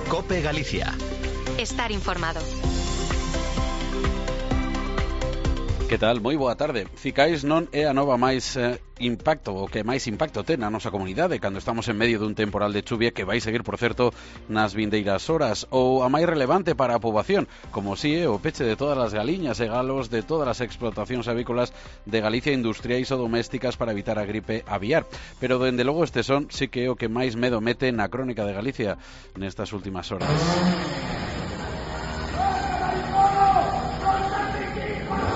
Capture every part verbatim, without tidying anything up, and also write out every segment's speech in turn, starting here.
COPE Galicia. Estar informado. Que tal? Moi boa tarde. Ficais non é a nova máis eh, impacto, o que máis impacto ten na nosa comunidade cando estamos en medio dun temporal de chuvia que vai seguir, por certo, nas vindeiras horas, ou a máis relevante para a poboación, como si é o peche de todas as galiñas e galos de todas as explotacións avícolas de Galicia, industriais ou domésticas, para evitar a gripe aviar. Pero, dende logo, este son sí que é o que máis medo mete na crónica de Galicia nestas últimas horas.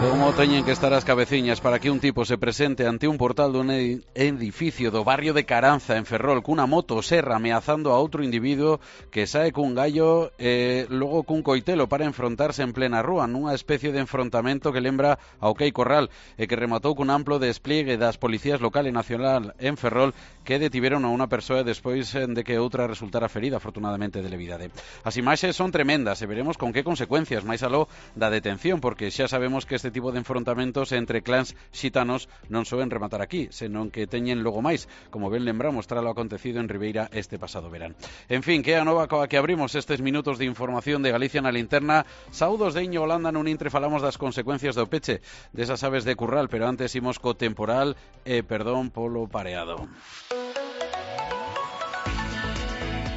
Como teñen que estar as cabeciñas para que un tipo se presente ante un portal dun edificio do barrio de Caranza, en Ferrol, cunha moto serra ameazando a outro individuo que sae cun gallo e logo cun coitelo para enfrontarse en plena rúa, nunha especie de enfrontamento que lembra ao Quei Corral e que rematou cun amplo despliegue das policías local e nacional en Ferrol, que detiveron a unha persoa despois de que outra resultara ferida, afortunadamente de levidade. As imaxes son tremendas e veremos con que consecuencias, máis aló da detención, porque xa sabemos que este tipo de enfrontamentos entre clans xitanos non soen rematar aquí, senón que teñen logo máis, como ben lembramos tras lo acontecido en Ribeira este pasado verán. En fin, que a nova coa que abrimos estes minutos de información de Galicia na linterna. Saudos de Iño Holanda, nun intre falamos das consecuencias do peche desas aves de curral, pero antes imos co temporal e perdón polo pareado.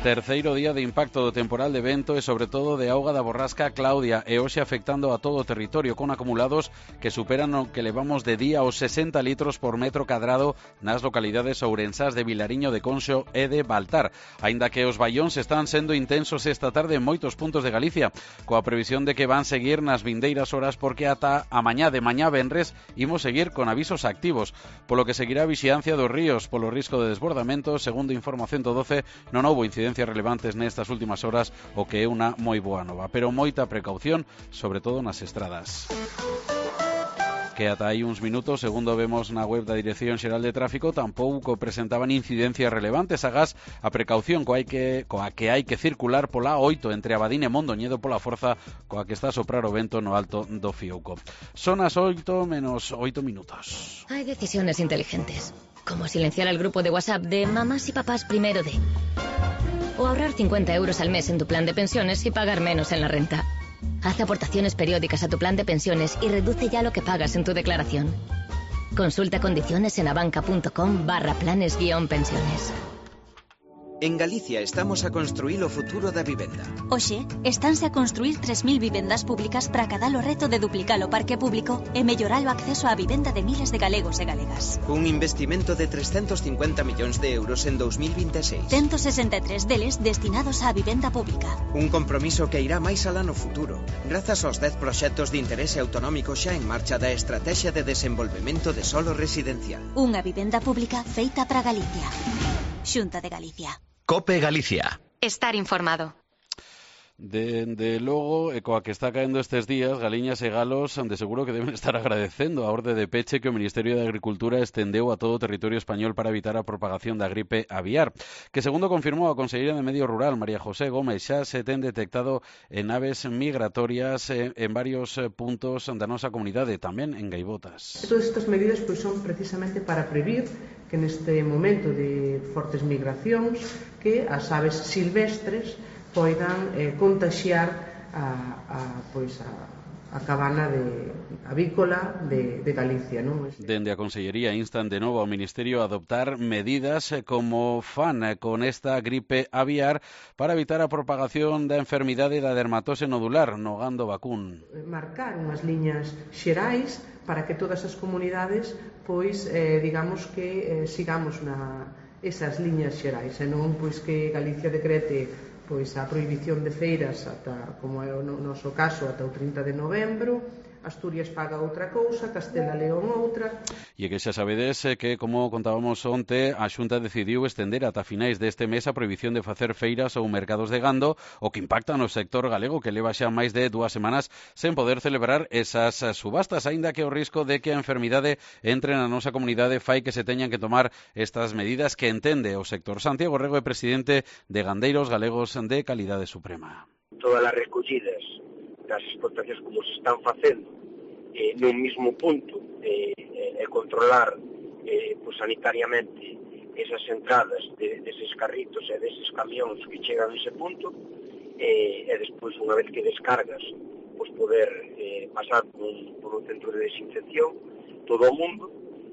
Terceiro día de impacto do temporal de vento e sobre todo de auga da borrasca Claudia, e hoxe afectando a todo o territorio con acumulados que superan o que levamos de día os sesenta litros por metro cadrado nas localidades ourensás de Vilariño de Conxo e de Baltar, aínda que os baións están sendo intensos esta tarde en moitos puntos de Galicia, coa previsión de que van seguir nas vindeiras horas, porque ata a mañá de mañá venres imos seguir con avisos activos, polo que seguirá a vixiancia dos ríos polo risco de desbordamento. Segundo información do doce, non houbo incidencia relevantes nestas últimas horas, o que é unha moi boa nova, pero moita precaución, sobre todo nas estradas. Que ata aí uns minutos, segundo vemos na web da Dirección Xeral de Tráfico, tampouco presentaban incidencias relevantes. Agás a precaución coa, hai que, coa que hai que circular pola oito entre Abadín e Mondoñedo pola forza coa que está a soprar o vento no alto do Fiouco. Son as oito menos oito minutos. Hay decisiones inteligentes, como silenciar al grupo de WhatsApp de mamás y papás primero de... o ahorrar cincuenta euros al mes en tu plan de pensiones y pagar menos en la renta. Haz aportaciones periódicas a tu plan de pensiones y reduce ya lo que pagas en tu declaración. Consulta condiciones en abanca.com barra planes guión pensiones. En Galicia estamos a construir o futuro da vivenda. Oxe, estánse a construir tres mil vivendas públicas para cada o reto de duplicar o parque público e mellorar o acceso á vivenda de miles de galegos e galegas. Un investimento de trescentos cincuenta millóns de euros en dos mil vinte e seis. ciento sesenta e tres deles destinados á vivenda pública. Un compromiso que irá máis alá no futuro, grazas aos dez proxectos de interese autonómico xa en marcha da Estrategia de Desenvolvemento de Solo Residencial. Unha vivenda pública feita para Galicia. Xunta de Galicia. COPE Galicia. Estar informado. Dende logo, e coa que está caendo estes días, galiñas e galos de seguro que deben estar agradecendo a orde de peche que o Ministerio de Agricultura estendeu a todo o territorio español para evitar a propagación da gripe aviar, que segundo confirmou a conselleira de Medio Rural, María José Gómez, xa se ten detectado en aves migratorias en, en varios puntos da nosa comunidade, tamén en gaivotas. Todas estas medidas pois, son precisamente para previr que neste momento de fortes migracións que as aves silvestres poidan eh, contaxiar a, a, pois a, a cabana de avícola de, de Galicia, non? Dende a Consellería instan de novo ao Ministerio a adoptar medidas como fan con esta gripe aviar para evitar a propagación da enfermidade da dermatose nodular no gando vacún. Marcar unhas liñas xerais para que todas as comunidades pois eh, digamos que eh, sigamos na esas liñas xerais, e non pois que Galicia decrete pois a prohibición de feiras ata, como é o noso caso, ata o trinta de novembro, Asturias paga outra cousa, Castela León outra. E que xa sabedes que, como contábamos onte, a Xunta decidiu estender ata finais deste mes a prohibición de facer feiras ou mercados de gando, o que impacta no sector galego, que leva xa máis de dúas semanas sen poder celebrar esas subastas, aínda que o risco de que a enfermidade entre na nosa comunidade fai que se teñan que tomar estas medidas que entende o sector. Santiago Rego é presidente de Gandeiros Galegos de Calidade Suprema. Todas as recollidas das explotacións como se están facendo eh, nun mismo punto e eh, eh, controlar eh, pues, sanitariamente esas entradas de, deses carritos e deses camións que chegan a ese punto e, e despois, unha vez que descargas, pois poder eh, pasar por un, por un centro de desinfección todo o mundo,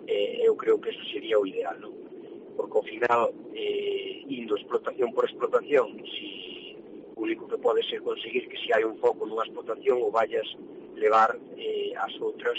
eh, eu creo que eso sería o ideal, non? Porque ao final, eh, indo explotación por explotación, si o único que pode ser conseguir que se hai un foco nunha explotación o vayas levar eh, as outras.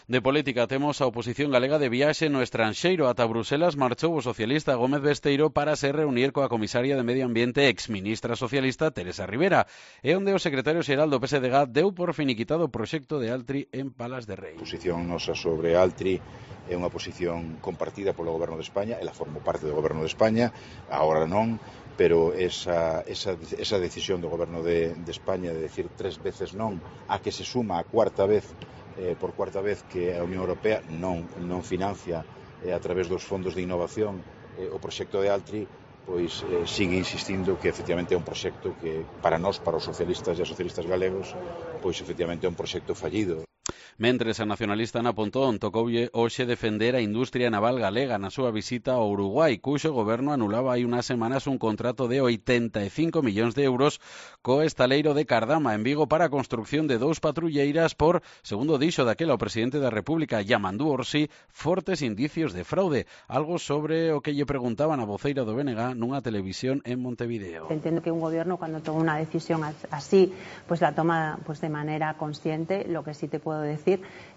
De política temos a oposición galega de viaxe no estranxeiro. Ata Bruselas marchou o socialista Gómez Besteiro para se reunir coa comisaria de Medio Ambiente exministra socialista Teresa Rivera, e onde o secretario xeral do P S D G deu por finiquitado o proxecto de Altri en Palas de Rei. A posición nosa sobre Altri é unha posición compartida polo Goberno de España, ela formou parte do Goberno de España, agora non, pero esa, esa, esa decisión do Goberno de, de España de decir tres veces non, a que se suma a cuarta vez Eh, por cuarta vez que a Unión Europea non, non financia eh, a través dos fondos de innovación eh, o proxecto de Altri, pois eh, sigue insistindo que efectivamente é un proxecto que para nós, para os socialistas e as socialistas galegos, pois efectivamente é un proxecto fallido. Mentres, a nacionalista Ana Pontón tocoulle hoxe defender a industria naval galega na súa visita ao Uruguai, cuxo goberno anulaba hai unhas semanas un contrato de oitenta e cinco millóns de euros co estaleiro de Cardama en Vigo para a construcción de dous patrulleiras por, segundo dixo daquela o presidente da República, Yamandú Orsi, fortes indicios de fraude, algo sobre o que lle preguntaban a voceira do B N G nunha televisión en Montevideo. Entiendo que un gobierno cuando toma una decisión así, pues la toma pues de manera consciente. Lo que sí te puedo decir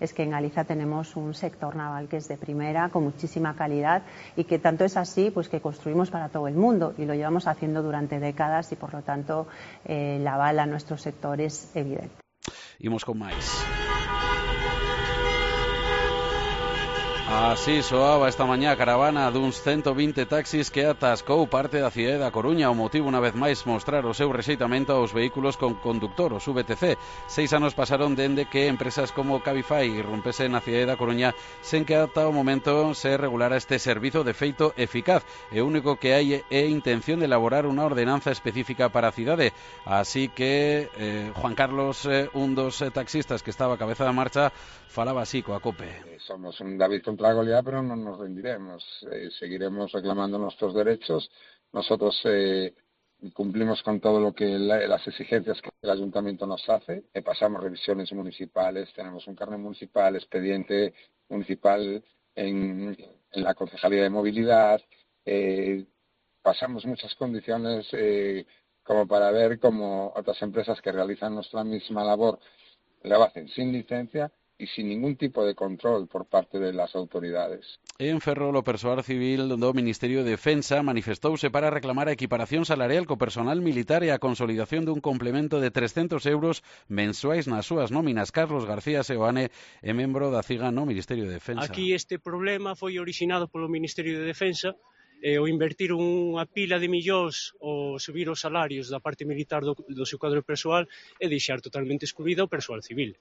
es que en Galicia tenemos un sector naval que es de primera, con muchísima calidad, y que tanto es así pues que construimos para todo el mundo y lo llevamos haciendo durante décadas, y por lo tanto eh, la aval a nuestro sector es evidente. Imos con máis. Así soaba esta mañá a caravana duns ciento vinte taxis que atascou parte da cidade da Coruña. O motivo, unha vez máis, mostrar o seu rexeitamento aos vehículos con conductor, os V T C. Seis anos pasaron dende que empresas como Cabify irrompese na cidade da Coruña sen que ata o momento se regulara este servizo de feito eficaz. E o único que hai é intención de elaborar unha ordenanza específica para a cidade. Así que eh, Juan Carlos, eh, un dos eh, taxistas que estaba a cabeza da marcha, falaba así coa COPE. Somos un David contra la Goliat, pero no nos rendiremos. Eh, seguiremos reclamando nuestros derechos. Nosotros eh, cumplimos con todo lo que la, las exigencias que el ayuntamiento nos hace. Eh, pasamos revisiones municipales, tenemos un carnet municipal, expediente municipal en, en la Concejalía de Movilidad. Eh, pasamos muchas condiciones eh, como para ver cómo otras empresas que realizan nuestra misma labor lo hacen sin licencia e sin ningún tipo de control por parte de las autoridades. En Ferrol, o persoal civil do Ministerio de Defensa manifestouse para reclamar a equiparación salarial co personal militar e a consolidación dun complemento de trescentos euros mensuais nas súas nóminas. Carlos García Seoane é membro da CIGA no Ministerio de Defensa. Aquí este problema foi orixinado polo Ministerio de Defensa, e o invertir unha pila de millóns ou subir os salarios da parte militar do, do seu cadro persoal e deixar totalmente excluída o persoal civil.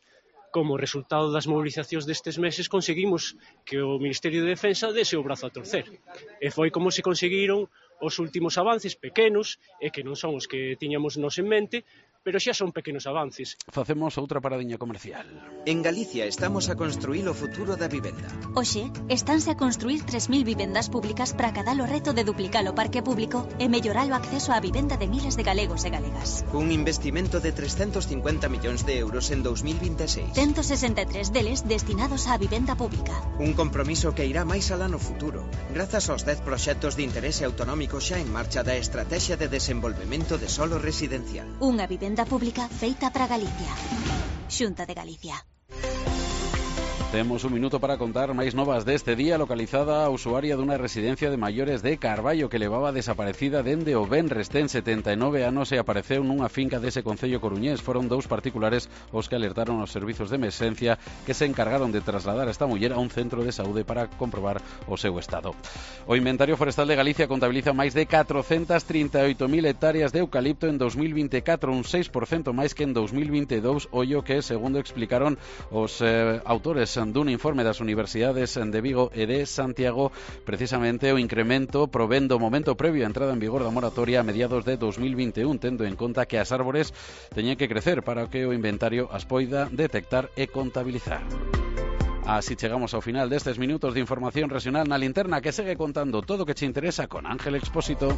Como resultado das movilizacións destes meses conseguimos que o Ministerio de Defensa dese o brazo a torcer. E foi como se conseguiron os últimos avances pequenos, e que non son os que tiñamos nos en mente, pero xa son pequenos avances. Facemos outra paradiña comercial. En Galicia estamos a construir o futuro da vivenda. Oxe, estánse a construir tres mil vivendas públicas para acadar o reto de duplicar o parque público e mellorar o acceso á vivenda de miles de galegos e galegas. Un investimento de trescentos cincuenta millóns de euros en dos mil vinte e seis. ciento sesenta e tres deles destinados á vivenda pública. Un compromiso que irá máis alá no futuro, grazas aos dez proxectos de interese autonómico xa en marcha da Estrategia de Desenvolvemento de Solo Residencial. Unha vivenda pública feita para Galicia. Xunta de Galicia. Temos un minuto para contar máis novas deste día. Localizada a usuaria dunha residencia de maiores de Carballo que levaba desaparecida dende o venres. Ten setenta e nove anos e apareceu nunha finca dese concello coruñés. Foron dous particulares os que alertaron aos servizos de emerxencia, que se encargaron de trasladar a esta muller a un centro de saúde para comprobar o seu estado. O Inventario Forestal de Galicia contabiliza máis de catrocentas trinta e oito mil hectáreas de eucalipto en dos mil vinte e catro, un seis por cento máis que en dos mil vinte e dous, ollo que, segundo explicaron os eh, autores dun informe das universidades de Vigo e de Santiago, precisamente o incremento provén do momento previo á entrada en vigor da moratoria a mediados de dos mil vinte e un, tendo en conta que as árbores teñen que crecer para que o inventario as poida detectar e contabilizar. Así chegamos ao final destes minutos de información regional na Linterna, que segue contando todo o que che interesa con Ángel Expósito.